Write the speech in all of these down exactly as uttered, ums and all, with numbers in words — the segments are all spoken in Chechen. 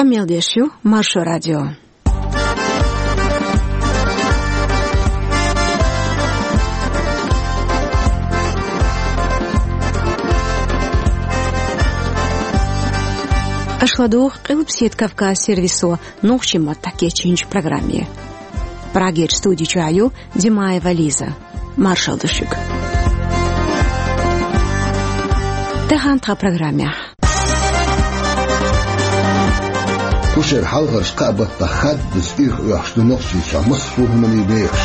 Къамел деш ю Маршо радио. Аша ладугӀу Къилбаседа Кавказ сервисо нохчийн маттахь кечйинчу программе. Прагерчу студи чохь ю Димаева Лиза. Маршалла ду шуьга. Тахана тхан программехь. Кху шеран хьалхарчу кхаа баттахь хаддаза ирхъоьхуш ду Нохчийчохь массо а хӀуманийн бехаш.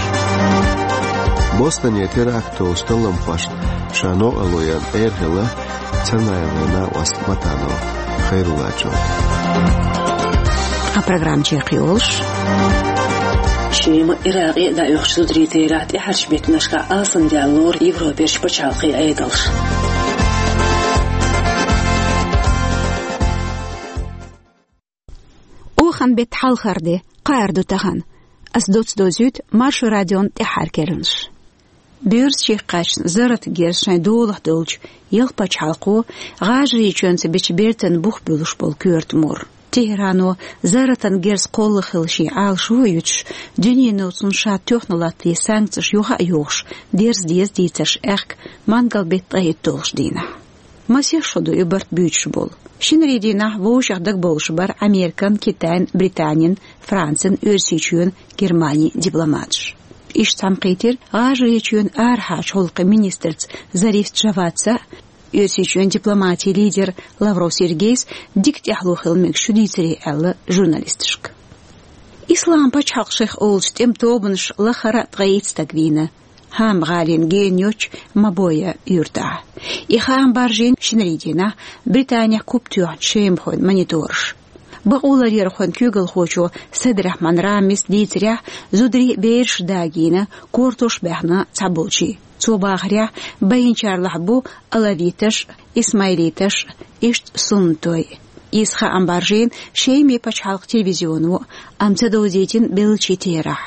Бостоне теракт долуш талламхошна ша новкъарло ян эр хилла Цанаеван накъост Матанов Хайруллачо. Ткъа программа чекхйолуш. Шема, Иракъе а дӀаоьхучу зударийн терахь тӀаьхьарчу беттанашкахь алсамдаьлла лору Европерчу пачхьалкхийн Ӏедалш. Оханан беттан хьалхара де, кхаарду тахана. Ас доцца дозуьйту Маршо радион тӀаьххьара керланаш. Боьрзачиха кхаьчна зарратан герз шайн долахь долчу ялх пачхьалкхо ГӀажарийчоьнца бечу бертан бух буьллуш болу коьрта мур. ТехӀрано зарратан герз кхолла хила шен Ӏалашо а юьтуш, дуьнено цунна ша тоьхна латтаде санкцеш юха а йохуш, дерза деза дийцарш аьхка мангал беттан ткъе итталгӀачу дийнахь. Масех шо ду и барт буьйцуш болу. Шинарин дийнахь вовшех дагабовлуш бара Американ, Китайн, Британин, Францин, Оьрсийчоьнан, Германин дипломаташ. Иштта цхьаьнакхийтира ГӀажарийчоьнан арахьарчу гӀуллакхийн министрца Зариф Джавадца а, Оьрсийчоьнан дипломатин лидера Лавров Сергейс дика тӀаьхьало хила мегаш ю дийцаре аьлла журналисташка. Ислам пачхьалкх шайх олучу тӀеман тобанаш лахара а ткъе итт стаг вийна ХӀама-гӀалина гена йоцчу Мабоя юьртахь. И хаам баржийна шинарин дийнахь Британехь куп тоьхначу шемахойн монитораша. Бакъоларъярхойн куьйгалхочо Сайд-Рахьман Рамис дийцарехь, зударий а, бераш а дагийна, кортош а баьхна цхьаболчийн. Цо бахарехь, байинчарлахь бу алавиташ а, исмаилиташ а, иштта суннатой. Иза хаам баржийна Шеман пачхьалкхан телевизионо, амма ца довзийтина беллачийн терахь.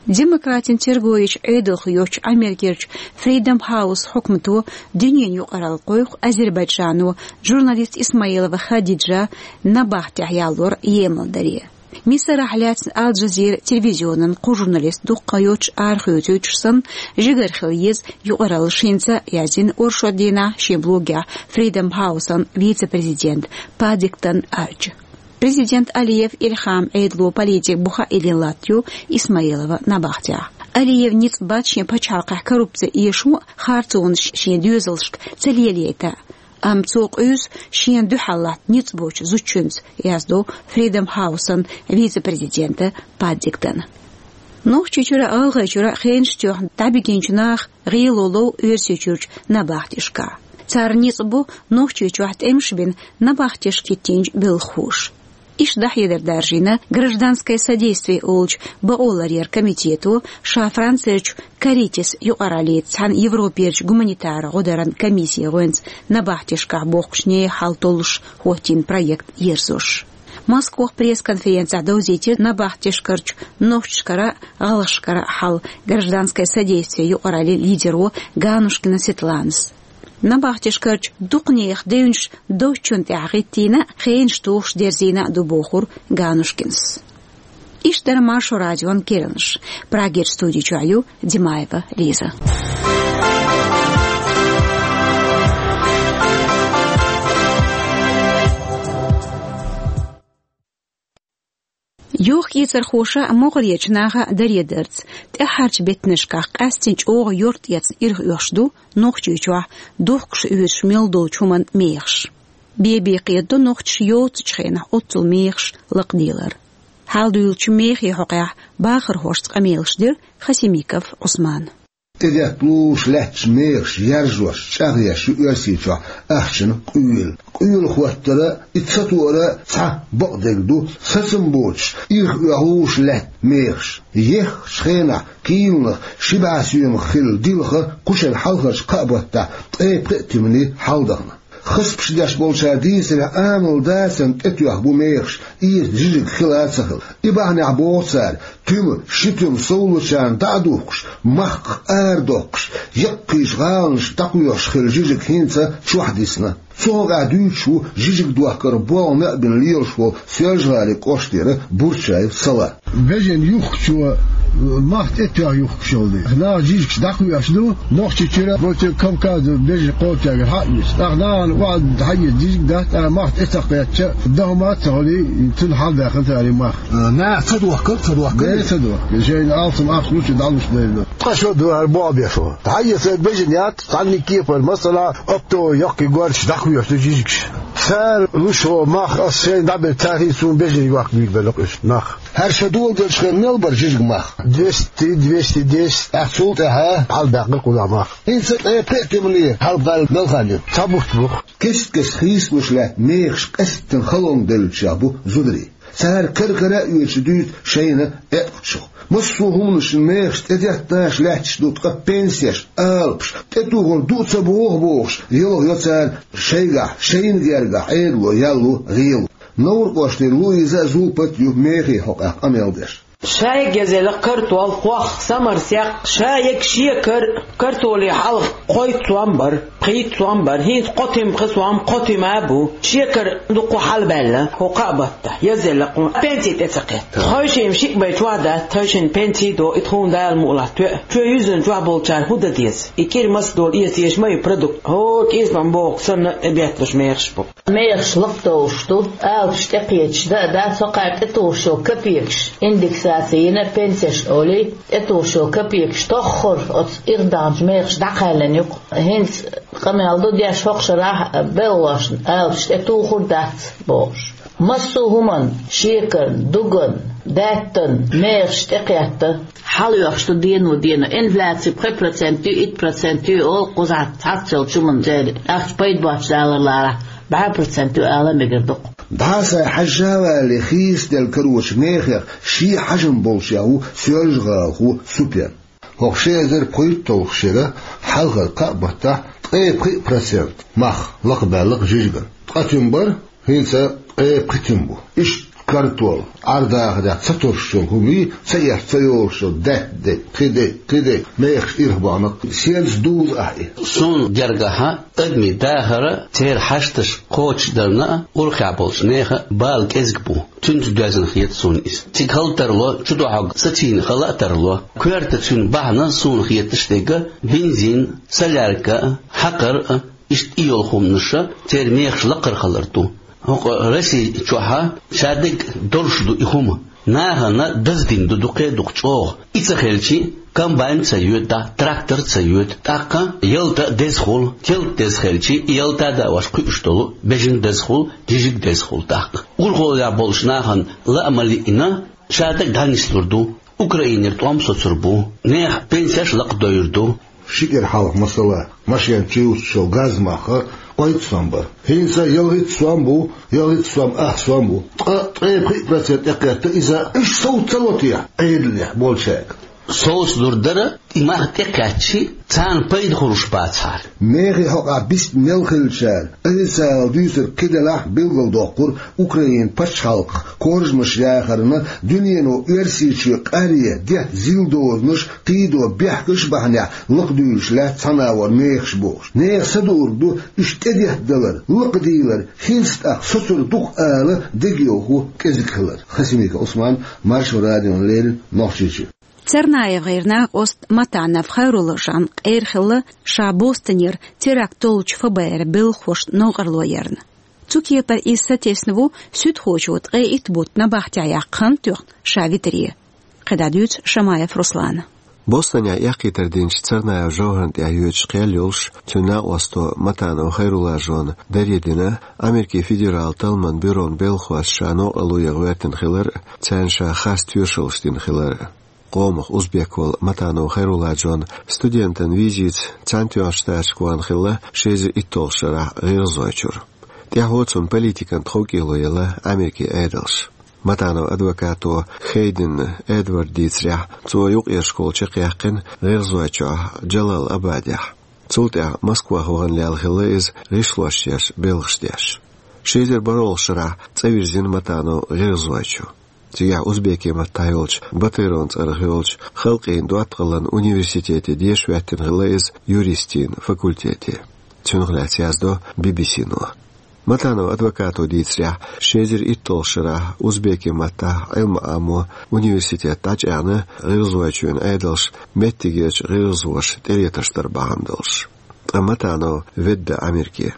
Демократийн терго йечу Ӏедалх йоцчу Америкерчу Freedom House хьукмато дуьненан юкъаралла кхойкху Азербайджано журналист Исмаилова Хадиджа набахтехь ялор емал даре. Мисарахь лаьцна Ал-Джазира телевизионан кху журналист дуккха йоцуш арахоьцуьйтуш санна, жигара хила еза юкъараллаш хӀинца а, яздина оршот дийнахь шен блогехь Freedom House-ан вице-президент Паддингтон Арча. Президент Алиев Ильхам Ӏедало политик буха а йиллина латтайо Исмаилова набахтехь. Алиев ницкъ бац шен пачхьалкхехь коррупци эшо а, харцонаш шен доьзалшка ца лелайта а. Амма цо къуьйсу шена дуьхьал латта ницкъ боцчу зудчуьнца, яздо Freedom House-ан вице-президента Паддингтона. Нохчийчуьра а, ГӀалгӀайчуьра а хенаш тоьхна дӀабигинчу наха гӀело лов Оьрсийчуьрчу набахтешкахь. Царна ницкъ бу Нохчийчохь тӀемаш бина набахтешка хӀиттийначу белхахоша. Иштта дӀахьедар даржийна «Гражданское содействие» олучу бакъоларъяран комитето ша Францерчу «Каритас» юкъараллица цхьаьна Европерчу гуманитаран гӀодаран комиссин гӀоьнца набахтешкахь бохкучу нехан хьал толлуш хӀоттийна проект ерзош. Москвахь пресс-конференцехь довзийтира набахтешкарчу нохчашкара а, гӀалгӀашкара а хьал «Гражданское содействие» юкъараллин лидеро Ганушкина Светланас. Набахтешкарчу дукха нехан девнаш доцчунна тӀехь хӀиттийна а, хенаш тухуш дерзийна а ду, бохура Ганушкинас. Иштта дара Маршо радион керланаш. Прагерчу студи чохь ю Димаева Лиза. Йохкийцархоша а, могӀарерчу наха а даре дарца, тӀаьххьарчу беттанашкахь къаьсттина чӀогӀа йорта эцна ирхъоьхуш ду Нохчийчохь духкуш оьшуш мел долчу хӀуманан мехаш. Бен-бен кхетадо нохчаша йоццачу хенахь оццул мехаш лакхаделар. Хьал дуьйлучу мехий хьокъехь бахархошца къамелаш дира Хасимиков Ӏусмана. ТӀедетта лулуш лаьтташ мехаш яржош, чӀагӀъеш ю Оьрсийчохь ахчанан къуьйла. Къуьйла хӀоттар а, и ца тоар а цхьа бакъдерг ду, сацам боцуш, ирхъоьхуш лаьтта мехаш. Еххачу хенахь килонах ши бӀе соьмах хилла дилха кху шеран хьалхарчу кхаа баттахь ткъе пхеа тиманийн хьалдахана. Хасбаш деш болчара дийцарехь, амал дацарна тӀетоьхна бу мехаш, иза жижиг хила а ца хилла. И бахьанехь боху цара, туьма, ши туьма совлучарна дӀа а духкуш, махках ара доккхуш, яккхийчу гӀаланаш дӀакхоьхьуш хилла жижиг хӀинца чохь дисна. Цу хьокъехь дуьйцуш ву жижиг дохкар болх а бина лелаш волу Соьлжа-ГӀалин кӀоштара Бурчаев Сала. Бежан юхкучо мах тӀетоьхна юхкуш йолу дела, наха жижигаш дӀакхоьхьуш ду, Нохчийчуьра, Кавказан бежан кхочуьнгара хьа а йисна. ТӀаккха нахана охьа хьаэца жижиг дац, тӀаккха мах тӀе ца кхетча, дан хӀума а ца хуьлий, цуьнан хьалдаьхна цара и мах. Наха ца дохкар, ца дохкар? Де, ца дохкар. Шайна алсам ахча лучу дӀалуш дайла. Тхан шо ду хӀара боху беш ву. Хьаэца бежан яц, цхьанна кепара, масала, оптовый яккхий горчаш дӀакхоьхьуш ду жижигаш. Цара луш волу мах ас шайна дӀаберг царна, суна бежан йохка муьйр белла уьш нах. ХӀара ша доладелча хенахь мел бара жижиг мах? Двести, двести десять, тӀаккха цул тӀаьхьа хьалабаьккхира кхунах мах. ХӀинца ткъе пхеа туьмане хьалабаьлла мел хан ю? Цхьа бутт бу. Кест-кеста хийцалуш лаьтта мехаш къаьсттина халонга девллачех бу зударий. Цара кара-кара а оьцуш дуьйцу шайна аьтӀ кхучух. Массо а хӀуманашна мехаш тӀедетташ лаьтташ ду, ткъа пенсеш, алапаш, тӀетухур ду а ца боху бохуш, йолхо йо цара шайгахь, шайна гергахь Ӏедало ял лу, гӀело. Новр кӀоштара Луиза а, Зулпат а ю мехий хьокъехь къамел деш. Шайга язъелла картол, хох, самар, секх, шайга шекар, картоле хьалха кхойтта сом бара, пхийтта сом бара, хӀинца кхо туьма пхи сом, кхо туьма а бу. Шекар дуккха хьалабаьлла, хӀокху кхаа баттахь, язъелла кхунна, пенси тӀе ца кхетта. Тхойшимма шиъ бен чохь дац, тхойшинна пенси до, и тхуна Дала мукъ лахь тоьа. Чоь юьззина чохь болчара хӀун дан деза? И кӀира маса долу эца езаш ма ю продукт. ХӀора кӀезиг-м боху санна, тӀебетталуш мехаш бу. Мехаш лакхадовлуш ду, алапаш тӀекхеташ дан а дац, хӀокхара тӀетухуш йолу капекаш, индексаци йина пенсешна олий, тӀетухуш йолу капекаш тоххара оцу ирх даханчу мехаш дӀакхаьллина ю-кх. ХӀинца къамел ду деш хӀокху шарахь белхалошна, алапаш тӀетухур дац бохуш. Массо а хӀуманна, шекарна, дуганна, даьттанна, мехаш тӀекхетта. Хьалаоьхуш ду дено-дено, инфляци пхи процент ю, итт процент ю олу кхузахь цхьацца йолчу хӀуманна церан ахча пайда боцуш далар ларахь, бӀе процент ю ала мегар ду-кх. ДӀа а схьа хьажжа а валале, хийцаделла карочу мехех шен хьажам болчех ву соьлжагӀалахо Супен. ХӀокху ши эзар пхийтталгӀачу шеран хьалхара кхаа баттахь ткъе пхи процент мах лакхабаьлла-кх жижиган. Ткъа туьма бара, хӀинца ткъе пхи туьма бу. Иштта картол, Ӏар-дахарехь ца тосуш йолу хӀумий, ца эцна ца йолуш йолу даьтта де, кхин де, кхин де, мехаш ирх бахана-кх. Сенца дузу ахьа и? Суна гергахьа, адамийн дахар а, церан хьашташ кхочушдарна а, урхахь болчу нехан а бала кӀезиг бу. Цуьнца доьзна хета суна иза. Цига хала тарло, чудоьхьург сацийна хала а тарло. Коьрта цуьнан бахьана суна хеташ дерг бензин, солярка а, хьакхар а, иштта и йолу хӀуманаш а церан мехаш лакхара хилар ду. ХӀокху Росси чохь а шадерг долуш ду и хӀума. Нахана даздина ду дукха а дукха чӀогӀа. И ца хилчи, комбайн ца йоьду, трактор ца йоьду. ТӀаккха ялта а деза хуьлу, ялта деза хилчи, и ялта а даош кхуьуш долу бежан деза хуьлу, жижиг деза хуьлу тӀаккха. Урхаллехь болчу нахана лаа ма лиъна, шадерг дӀанислур ду. Украинера тӀом соцур бу. Нехан пенсеш лакхадойур ду. Ши кӀира хьалха, масала, машен чу юьсуш йолу газ мах кхойтта сом бара. ХӀинца ялхитта сом бу, ялхитта сом ах сом бу. Ткъа ткъе пхи процент тӀекхетта иза, иштта совца ца ло те Ӏедалехь болчаьрга? Совцалур дара, и мах тӀекхаьччи, царна пайда хуьлуш бацахьара. Мехий хьокъехь бисб мел хиллачара, официалан дуьйцург кхин делахь, билгалдоккхура Украинан пачхьалкхах коржамаш яхарна, дуьнено Оьрсийчоь къаръе, детта зил дозанаш, кхийдо бехкаш а бахьанехь лакхадуьйлуш лаьтта цхьана агӀор мехаш бохуш. Нехан са дуург ду уьш тӀедеттадалар, лакхадийлар, хӀинца тӀаккха соцур ду-кх ала дегайовхо кӀезиг хилар. Хасимиков Ӏусман, Маршо радиона леррина, Нохчийчоь. Царнаевгара накъост Матанов Хайруллажан къера хилла, ша Бостонера теракт доллучу ФБР-ан белхахошна новкъарло ярна. Цу кепара иза сатесна ву суьдхочо ткъе итт бутт набахтехь яккха хан тоьхна ша витаре. КхидӀа дуьйцу Шамаев Руслана. Бостонехь эккхийтар динчу Царнаев ЖовхӀарна тӀехь йоьдуш кхел йолуш, цуьнан накъосто Матанов Хайруллажона даре дина, Америкин федералан талламан бюрон белхахошна ша новкъарло ян гӀоьртина хилар а, царна ша харц тоьшаллаш дина хилар а. Къомах узбек волу Матанов Хайруллажон студентан визица Цхьаьнатоьхначу Штаташка вахана хилла ши эзар итталгӀачу шарахь ГӀиргӀазойчуьра. ТӀаьхьо цунна политикан тховкӀело елла Америкин Ӏедалша. Матанов адвокато Хейден Эдварда дийцарехь, цо юкъера школа чекхъяьккхина ГӀиргӀазойчохь, Джалал-Абадехь. Цул тӀаьхьа Москвах вахана лелла хилла иза, гӀишлош еш, белхаш деш. Ши эзар бархӀолгӀачу шарахь цӀа вирзина Матанов ГӀиргӀазойчу. Цигахь узбекийн маттахь йолчу, Батыровн цӀарах йолчу халкъийн доттагӀаллин университете деша хӀоьттина хилла иза юристийн факультете. Цунах лаьцна яздо Би-Би-Си-но. Матановн адвокато дийцарехь, ши эзар итталгӀачу шарахь узбекийн маттахь Ӏилма Ӏамо университет дӀачӀагӀна, ГӀиргӀазойчоьнан Ӏедалша меттигерчу гӀиргӀазоша тӀелетарш дар бахьана долуш. Ткъа Матанов ведда Америке.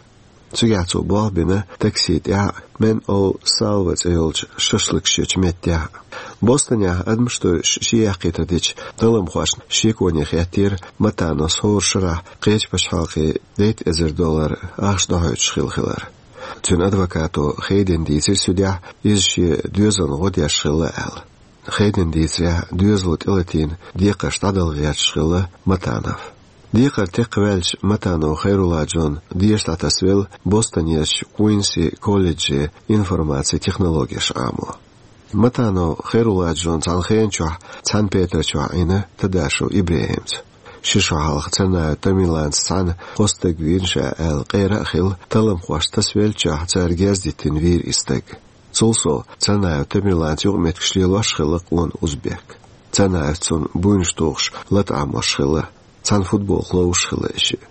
Цигахь цо болх бина такси тӀехь а, Мэн Оу Салва цӀе йолчу шашлыкаш ечу меттехь а. Бостонехь адамаш тойуш шен яккхийтар дечу талламхошна шеконе хеттера Матановс хӀора шарахь кхечу пачхьалкхийн дейтта эзар доллар ахча дохьуьйтуш хилла хилар. Цуьнан адвокато Хейдена дийцира судьехь, иза шен доьзална гӀо деш хилла аьлла. Хейдена дийцарехь, доьзало тӀелатийна декхарш дӀадала гӀерташ хилла Матанов. Декхар текхаваьлча, Матанов Хайрулла-Джон деша дӀатасавелла Бостонерчу Куинси колледже информацин технологеш Ӏамо. Матанов Хайрулла-Джон цхьана хенан чохь цхьана петар чохь Ӏийна Тадашев ИбрахӀимца. Ши шо хьалха Царнаев Тамерланца цхьаьна кхо стаг вийна ша аьлла къера а хилла, талламхошца тасавеллачохь цара герз диттина вийра и стаг. Цул сов, Царнаев Тамерланца юкъаметтигаш лелош хилла къона узбек. Царнаевс цунна буйнаш тухуш лата Ӏамош хилла, цхьана футболка ловзуш хилла и шиъ.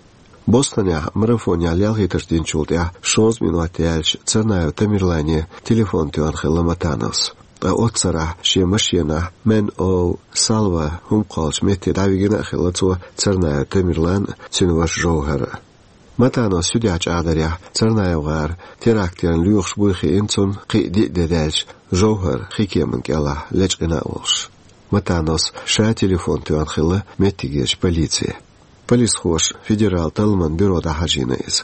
Бостонехь марафонехь лелхийтарш динчул тӀаьхьа шовзткъа минот яьлча, Царнаев Тамерлане телефон тоьхна хилла Матановс. Ткъа оццу сарахь шен машенахь Мэн Оу Салва хӀума кхоллучу метте дӀавигина а хилла цо, Царнаев Тамерлан а, цуьнан ваша Жовхар а. Матановс судьехь чӀагӀдарехь, Царнаев-ГӀар терактана лоьхуш буй хиъна цунна кхин а диъ де даьлча, Жовхар хи кеманна кӀелахь лечкъина а волуш. Матановс ша телефон тоьхна хилла меттигерчу полице. Полисхоша федерал талламан бюро дӀахьажийна иза.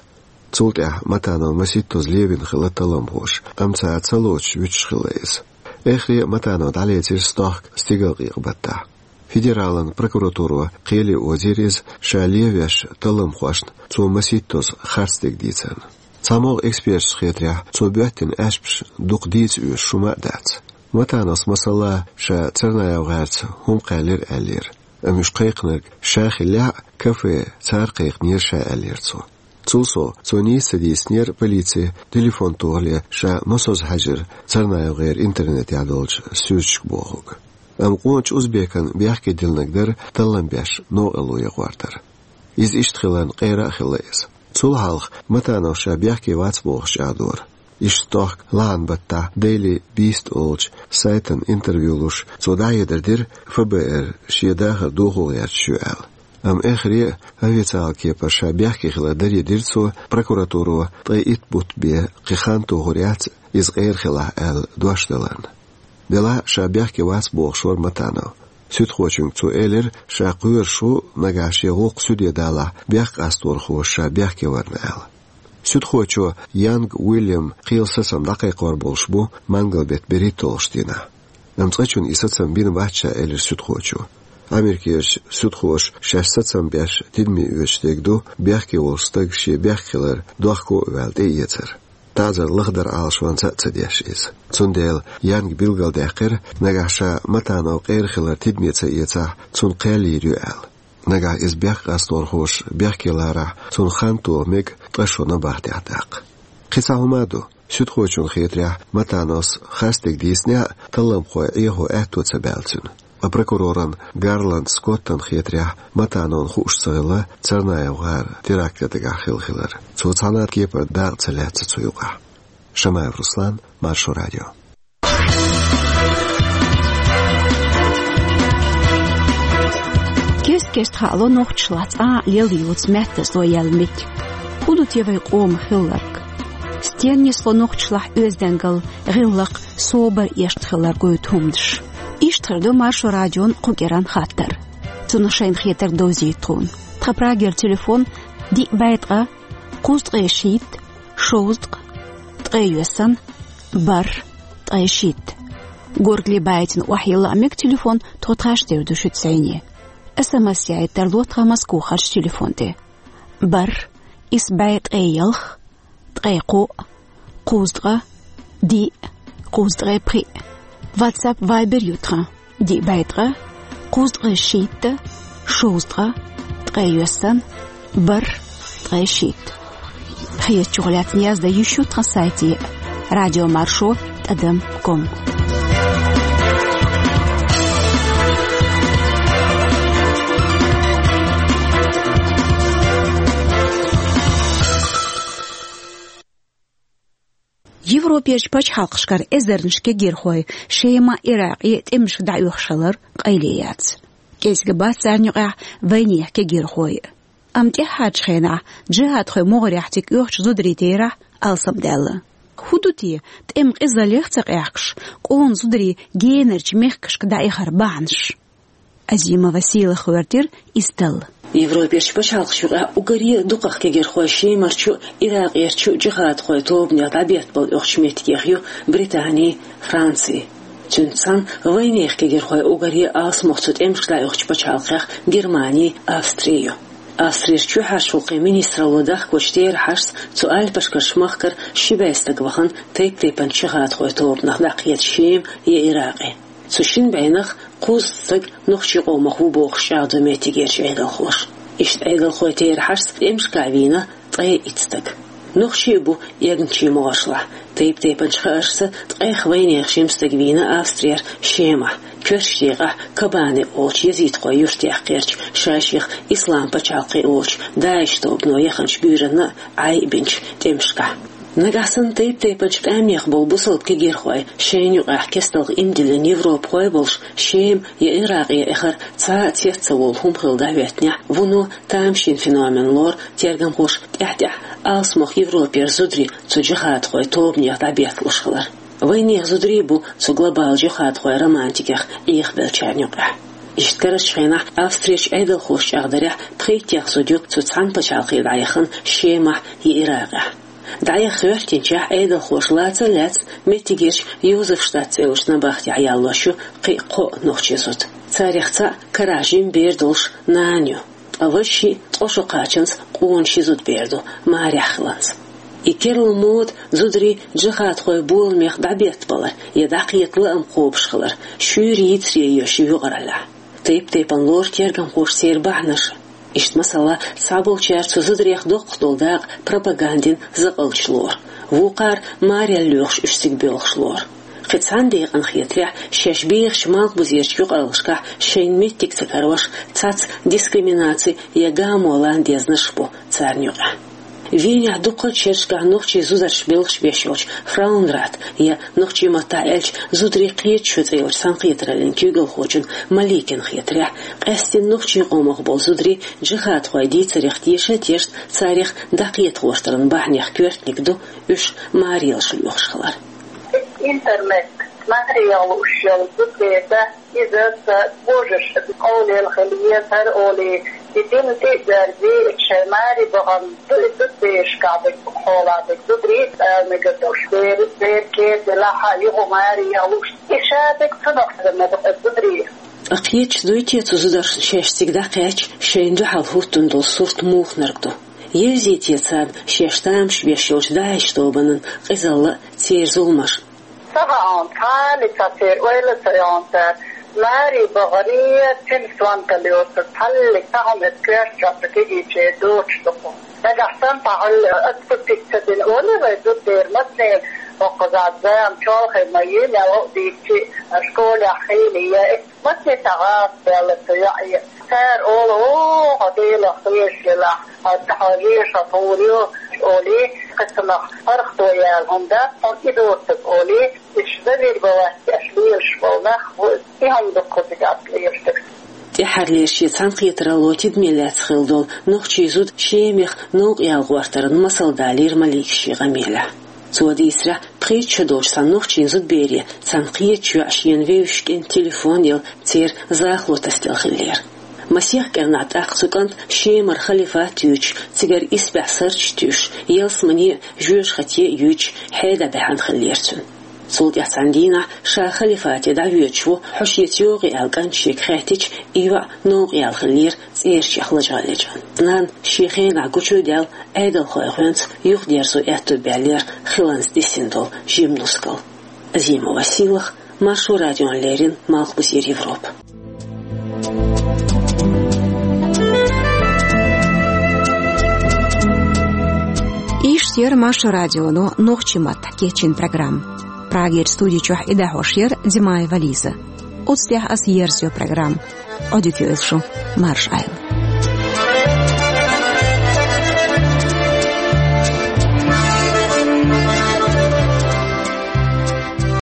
Цул тӀаьхьа Матанов масийттаза левина хилла талламхоша, амма цара ца лоцуш вуьтуш хилла иза. Эххаре а Матанов дӀалецира стохка стигалкъекъа баттахь. Федералан прокуратуро кхеле озийра иза, ша левеш талламхошна цо масийттаза харцдерг дийцарна. ЦхьамогӀа эксперташна хетарехь, цо боьттина аьшпаш дукха дийца оьшуш хӀума а дац. Матановс, масала, ша Царнаев-ГӀарца хӀума кхаьллира аьллера. Амма уьш кхайкхинарг ша хиллехь а, кафе цара кхайкхинера ша аьллера цо. Цул сов, цо нийса ца дийцинера полице телефон тохале ша массаза хьаьжира Царнаев-ГӀеран интернетехь долчу суьрташка бохург. Амма къоначу узбекана бехке диллинарг дара таллам беш новкъарло якъордар. Иза иштта хиларна къера а хилла иза. Цул хьалха Матановс ша бехке вац бохуш чӀагӀдора. Иштта стохка лахьан баттахь Daily Beast олучу сайтана интервью луш, цо дӀахьедар дира ФБР шен дахар дохо гӀерташ ю аьлла. Амма эххаре а официалан кепара ша бехке хилар даре дира цо, прокуратуро ткъе итт бутт бен кхин хан тухур яц иза къера хилахь аьлла дош даларна. Делахь а ша бехке вац бохуш вара Матанов. Суьдхочуьнга цо элира, ша кхоьруш ву, нагахь шен гӀуллакх суьде далахь, бехкъасторхоша ша бехке варна аьлла. Суьдхочо Янг Уильям кхелан сацам дӀакхайкхор болуш бу мангал-беттан берхӀитталгӀачу дийнахь. Амма цкъачунна и сацам бина бац ша, элира суьдхочо. Америкерчу суьдхоша шаьш сацам беш тидаме оьцуш дерг ду бехке волчу стага шен бехк хилар дохко а ваьлла тӀеэцар. ТаӀзар лахдар Ӏалашонца а ца деш иза. Цундела Янга билгалдаьккхира, нагахь ша Матанов къера хилар тидаме ца эцахь, цунна кхел йийр ю аьлла. Нагахь иза бехкъасторхоша бехке ларахь, цунна хан тоха мега ткъа шо набахтехь даккха. Кхин цхьа хӀума а ду. Суьдхочунна хетарехь, Матановс харцдерг дийцинехь а, талламхой Ӏехо аьтто ца баьлла цуьнан. Ткъа прокуроран Гарланд Скоттан хетарехь, Матановна хууш ца хилла Царнаев-ГӀара терактан дагахь хилла хилар. Цо цхьана а кепара дакъа ца лаьцна цу юкъахь. Шамаев Руслан, Маршо Радио. Кест-кеста хаало нохчашлахь цкъа а лел йоцу маьттазло яьлла меттиг. ХӀун ду те вай къоман хилларг? Стенна нисло нохчашлахь оьздангалла, гӀиллакх, собар эшна хилар гойту хӀуманаш? Иштта хир ду Маршо Радион кху кӀиранан хаттар. Цунах шайна хетарг довзийта тхуна. Тхан Прагера телефон: диъ бӀе ткъа, кхузткъе шийтта, шовзткъа, ткъе йоьссана, бархӀ, ткъе шийтта. Горгали байтина охьайилла а мега телефон, тхо тхаьш дер ду шуьца зӀене. СМС яийта тарло тхан Москвахарчу телефон тӀе: бархӀ, исс бӀе ткъе ялх, ткъе кхоъ, кхузткъа, диъ, кхузткъе пхиъ. WhatsApp, Viber ю тхан: диъ бӀе ткъа, кхузткъе шийтта, шовзткъа, ткъе йоьссана, БархӀ, ткъе шийтта. Хьехам чухула лаьцна яздан йиш ю тхан сайте: радиомаршо тӀадам ком. Европерчу пачхьалкхашкара эзарнаш кегийрхой Шема, Иракъе тӀемашка дӀаоьхуш хилар къайле яц. КӀезига бац царна юкъахь вайнехан кегийрхой. Амма тӀаьххьарчу хенахь джихӀадхойн могӀарехь цига оьхучу зударийн терахь алсамдаьлла. ХӀун ду те, тӀеман къизаллех а ца къаьхкаш, къона зударий генарчу мехкашка дӀаихар бахьанаш? Азимова Сийлаха гӀоьртира и стал. Европерчу пачхьалкхашна юкъахь уггаре а дукхах кегийрхой Шемарчу, Иракъерчу джихӀадхойн тобанех дӀабеттабала оьхучу меттигех ю Британи, Франци. Цуьнца цхьаьна вайнехан кегийрхой уггаре а алсамох цу тӀемашка дӀаоьхучу пачхьалкхех Германи, Австри ю. Австрерчу чоьхьарчу гӀуллакхийн министралло дахкочу терахьашца, цу альпашкарчу махкара ши бӀе стаг вахана тайп-тайпанчу джихӀадхойн тобанах дӀакхета Шема я Иракъе. Цу шина бӀенах кхузткъа стаг нохчийн къомах ву бохуш чӀагӀдо меттигерчу Ӏедалхоша. Иштта Ӏедалхойн терахьашца тӀемашкахь вийна ткъе итт стаг. Нохчий а бу эгначийн могӀаршлахь. Тайп-тайпанчу хааршца, ткъех вайнехан жима стаг вийна Австрера Шемахь, коьртачу декъехь Кобане олучу езидхойн юьртахь кхерча, ша-шех Ислам пачхьалкх олучу ДАИШ тобано яханчу буьйранна а Ӏай а бинчу тӀемашкахь. Нагахь санна тайп-тайпанчу къаьмнех болу бусалба кегийрхой шайна юкъахь кестта иман диллина европахой а болуш, Шема я Иракъе эхар цхьа а цец ца волу хӀума хилла дӀахӀоьттинехь, вуно тамашийна феномен лору тергамхоша тӀаьхь-тӀаьхьа алсамох Европера зударий цу джихӀадхойн тобанех дӀабетталуш хилар. Вайнехан зударий а бу цу глобалан джихӀадхойн романтикех Ӏехабеллачарна юкъахь. Иштта карарчу хенахь Австрерчу Ӏедалхоша чӀагӀдарехь, пхийттех зуда ю цу цхьана пачхьалкхе дӀаяхана Шемахь я Иракъехь. ДӀаяха хӀоьттинчохь Ӏедалхоша лаца а лаьцна меттигерчу Йозефштадт цӀе йолчу набахтехь яллош ю кхин а кхоъ нохчийн зуда. Царех цхьаъ карахь жима бер долуш нана ю. Ткъа важа шиъ ткъа шо кхачанца къона ши зудабер ду, марехь хиланца. И керла мода зударий джихӀадхойн боламех дӀабеттабалар я дӀакхета лаам кхобуш хилар шуьйра йийцаре йоьшу юкъараллехь. Тайп-тайпана лору тергамхоша церан бахьанаш. Иштта, масала, цхьаболчара цу зударех доккхах долу дакъа пропагандин закъалча лору, вукхара марел лоьхуш уьш цига боьлхуш лору. Кхин цхьана декъана хетарехь, шаьш бехачу малхбузерчу юкъараллашкахь шайна меттиг ца карош, цхьацца дискриминаци я гамо лан дезнарш а бу царна юкъахь. Венехь дуккхачу шерашкахь нохчийн зударшна белхаш беш йолчу Фраунрат я, нохчийн маттахь аьлча, зударий кхечу шо цӀе йолчу цхьаьнакхетараллин куьйгалхочун Маликина хетарехь, къаьсттина нохчийн къомах болу зударий джихӀадхойн дийцарех теша а тешна, царех дӀакхета гӀортаран бахьанех коьртаниг ду уьш марелаш лоьхуш хилар. Интернет, марелаш йолу зуда, иза ца божарша къовлаелла хилла, хӀара олий, и дина тӀе а берзий, шайн маре бахана ду, и зудаберашкахь дерг, хьолахь дерг зударий а мегар долуш, бер, бер кер делахь а, юха маре а луш, и ша дерг цунах ма ду, зударий. Ткъа кхеташ дуй те цу зударшна шаьш цига дӀакхаьчча, шайна дуьхьал хӀуттун долу сурт муханарг ду? Евзий те царна шаьш тамаш беш йолчу ДАИШ тобанан къизалла а, церан зуламаш а? Ца хаьа, цхьа а цхьа церан ойла а ца йо цара. Маре бахарий, цуьнан сонталла йоцург, цхьаллиг цхьа хӀума коьртачохь цу кегийчеран доцуш ду-кх. Нагахь санна цхьа хьал отступить ца дина олий вай, зудабер массанена, хӀокхузахь зама чолхе ма ю, мел а дийцчи, школехь хийла я, массанена цхьа гӀаза даьлла цу йоӀе. Цара олу: «О, хьо Делах кхоьруш елахь, хьо, хьо вешан гӀур ю», олий, кхин цунах паргӀато яьлла хӀума дац хьуна и доцург олий, уьш завидовать деш лелаш болу нах бу, и хӀума ду-кх кхузахь лелаш дерг. ТӀаьххьарлера шен цхьаьнакхетаралло тидаме лаьцна хилла долу нохчийн зуда Шемех новкъаяла гӀортаран масал далийра Малика шен къамелехь. Цо дийцарехь, пхийтта шо долчу цхьана нохчийн зудабере цхьана кхечу йоӀа шена вевзаш кӀентан телефон елла, церан захало тасаделла хиллера. Масех кӀирнахь тӀаккха цу кӀанта Шемара халифат юьйцуш, цигара исбаьхьа сурташ туьйсуш, ялсамане а, жоьжахате а юьйцуш, хьеда баьхьна хиллера цуьнан. Цул тӀаьхьа цхьана дийнахь, ша халифате дӀавоьдуш ву, хьо шеца йогӀий аьлла кӀанта шега хаьттича, и йоӀ новкъаяьлла хиллера цӀерачех лачкъа лечкъина. Нанна шен хенахь гучу а даьлла, Ӏедалхойн гӀоьнца юхадерзо аьтто баьллера хиланца дисина долу жима нускал. Азимова Сийлаха, Маршо радиона леррина, Малхбузера Европа. Яр Маршо радионо нохчийн маттахь кечйина программа. Прагера студи чохь и дӀахьош яр Димаева Лиза. Оцу тӀехь аса ерзайо программа. Ӏодика йойла шу, марша Ӏайла.